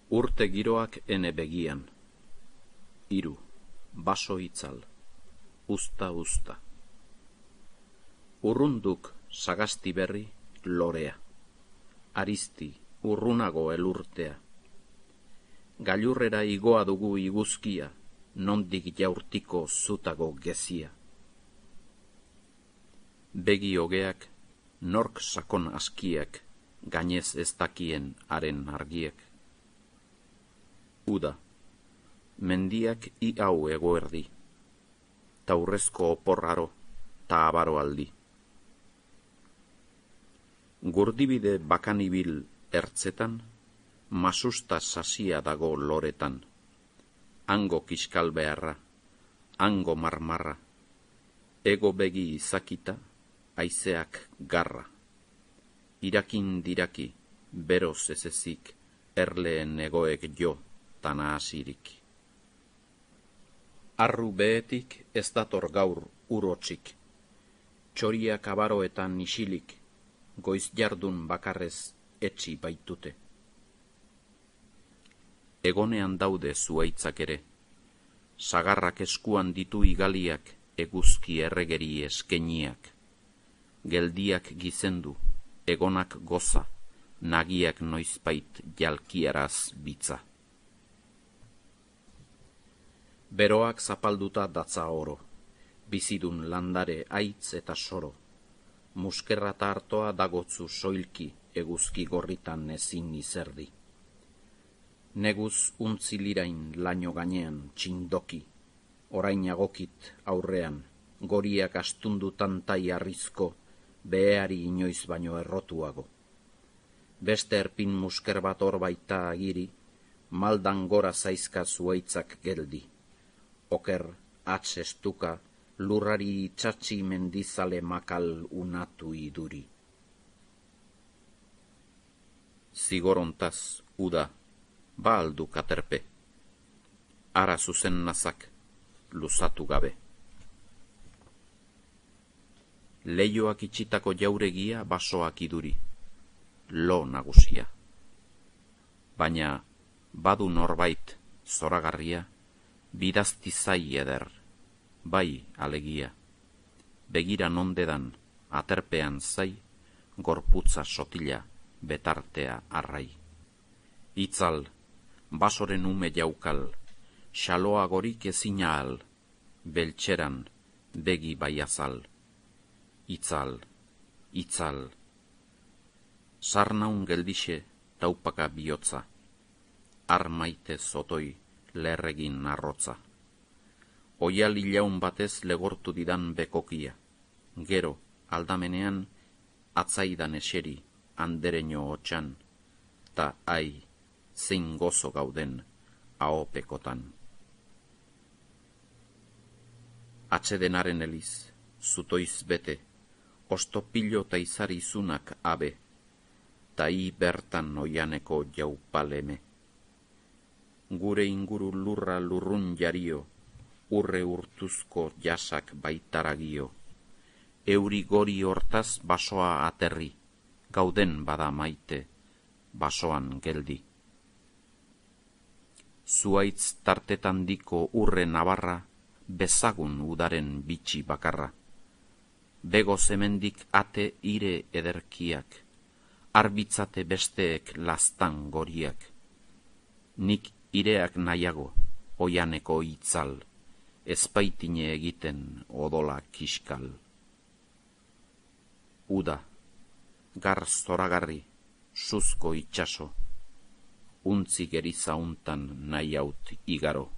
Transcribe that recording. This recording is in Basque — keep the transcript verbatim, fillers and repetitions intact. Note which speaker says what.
Speaker 1: Urte giroak ene begian. Hiru, baso itzal, usta usta. Urrunduk sagasti berri lorea. Aristi urrunago elurtea. Gailurrera igoa dugu iguzkia, nondik jaurtiko zutago gezia. Begi hogeak, nork sakon askiak, gainez ez dakien haren argiek. Uda, mendiak i hau egoerdi, taurrezko oporraro ta abaro aldi. Gurdibide bakanibil ertzetan, masusta sasia dago loretan. Hango kiskal beharra, hango marmarra, ego begi izakita, haizeak garra. Irakin diraki, beroz ezezik, erleen egoek jo, tana asirik. Arru behetik ez dator gaur urotxik, txoriak abaroetan isilik, goiz jardun bakarrez etxi baitute. Egonean daude zuaitzak ere, sagarrak eskuan ditu igaliak, eguzki erregeri eskeniak. Geldiak gizendu, egonak goza, nagiak noizbait jalkiaraz bitza. Beroak zapalduta datza oro, bizidun landare aitz eta soro. Muskerra ta hartoa dagotzu soilki, eguzki gorritan ezin izerdi. Neguz untzilirain laino gainean txindoki, orain agokit aurrean, goriak astundu tantai arrizko, beheari inoiz baino errotuago. Beste erpin musker bat hor baita agiri, maldan gora zaizka zuaitzak geldi. Oker, atz estuka, lurrari itxatxi mendizale makal unatu iduri. Zigorontaz, uda, ba aldu katerpe. Ara zuzen nazak, luzatu gabe. Leioak itxitako jauregia basoak iduri, lo nagusia. Baina, badu norbait, zoragarria, bidazti zai eder, bai alegia. Begira nondedan, aterpean zai, gorputza sotila, betartea arrai. Itzal, basoren ume jaukal, xaloa gorik ezina al, beltxeran, begi baiazal. Itzal, itzal. Sarnaun geldixe, taupaka bihotza, armaite zotoi, lerregin arrotza. Oial ilaun batez legortu didan bekokia, gero, aldamenean, atzaidan eseri, andereño hotxan, ta ai, zein gozo gauden, ahopekotan. Atsedenaren eliz, zutoiz bete, ostopilo ta izari zunak abe, ta i bertan oianeko jaupaleme. Gure inguru lurra lurrun jario, urre urtuzko jasak baitaragio. Euri gori hortaz basoa aterri, gauden bada maite, basoan geldi. Zuaitz tartetan diko urre nabarra, bezagun udaren bitxi bakarra. Bego zemendik ate ire ederkiak, arbitzate besteek lastan goriak. Nik ireak nahiago, oianeko itzal, ezpaitine egiten odola kiskal. Uda, gar zoragarri, suzko itxaso, untzi geriza untan nahi haut igaro.